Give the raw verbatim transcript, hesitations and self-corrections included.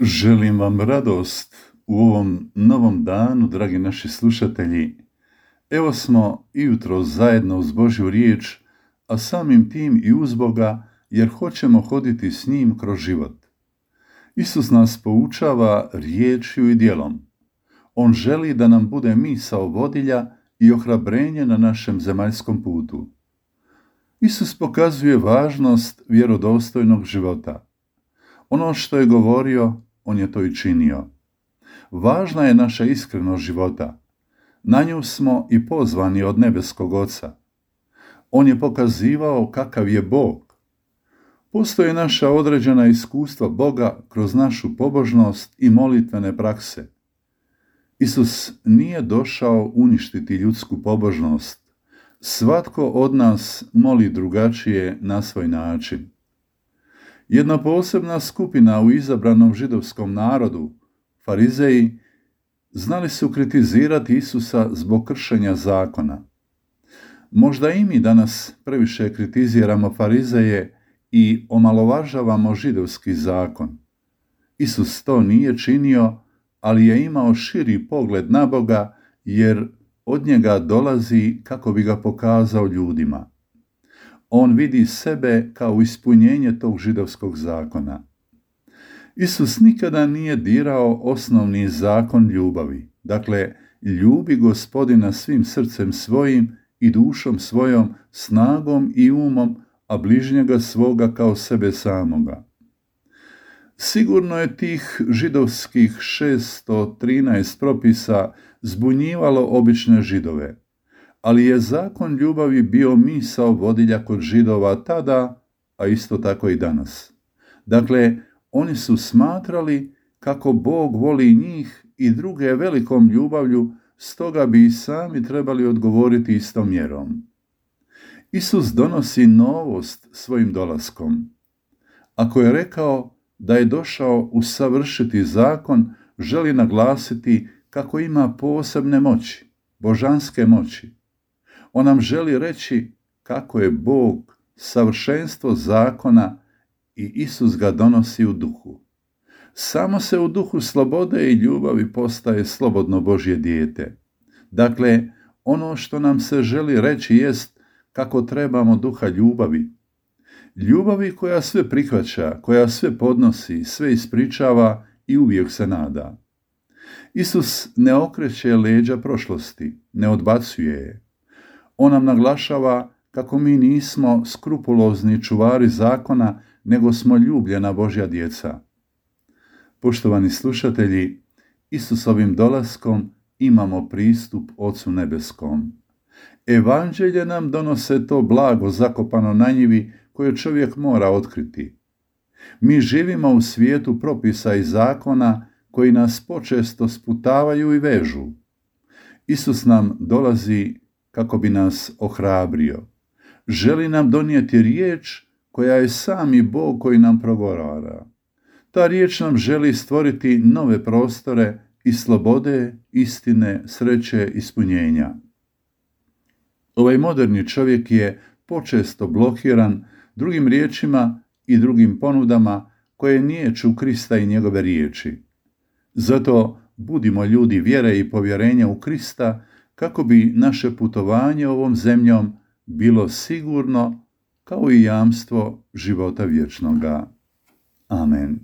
Želim vam radost u ovom novom danu, dragi naši slušatelji. Evo smo i jutro zajedno uz Božju riječ, a samim tim i uz Boga, jer hoćemo hoditi s njim kroz život. Isus nas poučava riječju i djelom. On želi da nam bude misao vodilja i ohrabrenje na našem zemaljskom putu. Isus pokazuje važnost vjerodostojnog života. Ono što je govorio, on je to i činio. Važna je naša iskrenost života. Na nju smo i pozvani od nebeskog Oca. On je pokazivao kakav je Bog. Postoje naša određena iskustva Boga kroz našu pobožnost i molitvene prakse. Isus nije došao uništiti ljudsku pobožnost. Svatko od nas moli drugačije na svoj način. Jedna posebna skupina u izabranom židovskom narodu, farizeji, znali su kritizirati Isusa zbog kršenja zakona. Možda i mi danas previše kritiziramo farizeje i omalovažavamo židovski zakon. Isus to nije činio, ali je imao širi pogled na Boga, jer od njega dolazi kako bi ga pokazao ljudima. On vidi sebe kao ispunjenje tog židovskog zakona. Isus nikada nije dirao osnovni zakon ljubavi. Dakle, ljubi Gospodina svim srcem svojim i dušom svojom, snagom i umom, a bližnjega svoga kao sebe samoga. Sigurno je tih židovskih šesto trinaest propisa zbunjivalo obične Židove, ali je zakon ljubavi bio misao vodilja kod Židova tada, a isto tako i danas. Dakle, oni su smatrali kako Bog voli njih i druge velikom ljubavlju, stoga bi i sami trebali odgovoriti istom mjerom. Isus donosi novost svojim dolaskom. Ako je rekao da je došao usavršiti zakon, želi naglasiti kako ima posebne moći, božanske moći. On nam želi reći kako je Bog savršenstvo zakona i Isus ga donosi u duhu. Samo se u duhu slobode i ljubavi postaje slobodno Božje dijete. Dakle, ono što nam se želi reći jest kako trebamo duha ljubavi. Ljubavi koja sve prihvaća, koja sve podnosi, sve ispričava i uvijek se nada. Isus ne okreće leđa prošlosti, ne odbacuje je. On nam naglašava kako mi nismo skrupulozni čuvari zakona, nego smo ljubljena Božja djeca. Poštovani slušatelji, Isusovim dolaskom imamo pristup Ocu nebeskom. Evanđelje nam donose to blago zakopano na njivi koje čovjek mora otkriti. Mi živimo u svijetu propisa i zakona koji nas počesto sputavaju i vežu. Isus nam dolazi kako bi nas ohrabrio. Želi nam donijeti riječ koja je sami Bog koji nam progovara. Ta riječ nam želi stvoriti nove prostore i slobode, istine, sreće, ispunjenja. Ovaj moderni čovjek je počesto blokiran drugim riječima i drugim ponudama koje niječu Krista i njegove riječi. Zato budimo ljudi vjere i povjerenja u Krista kako bi naše putovanje ovom zemljom bilo sigurno kao i jamstvo života vječnoga. Amen.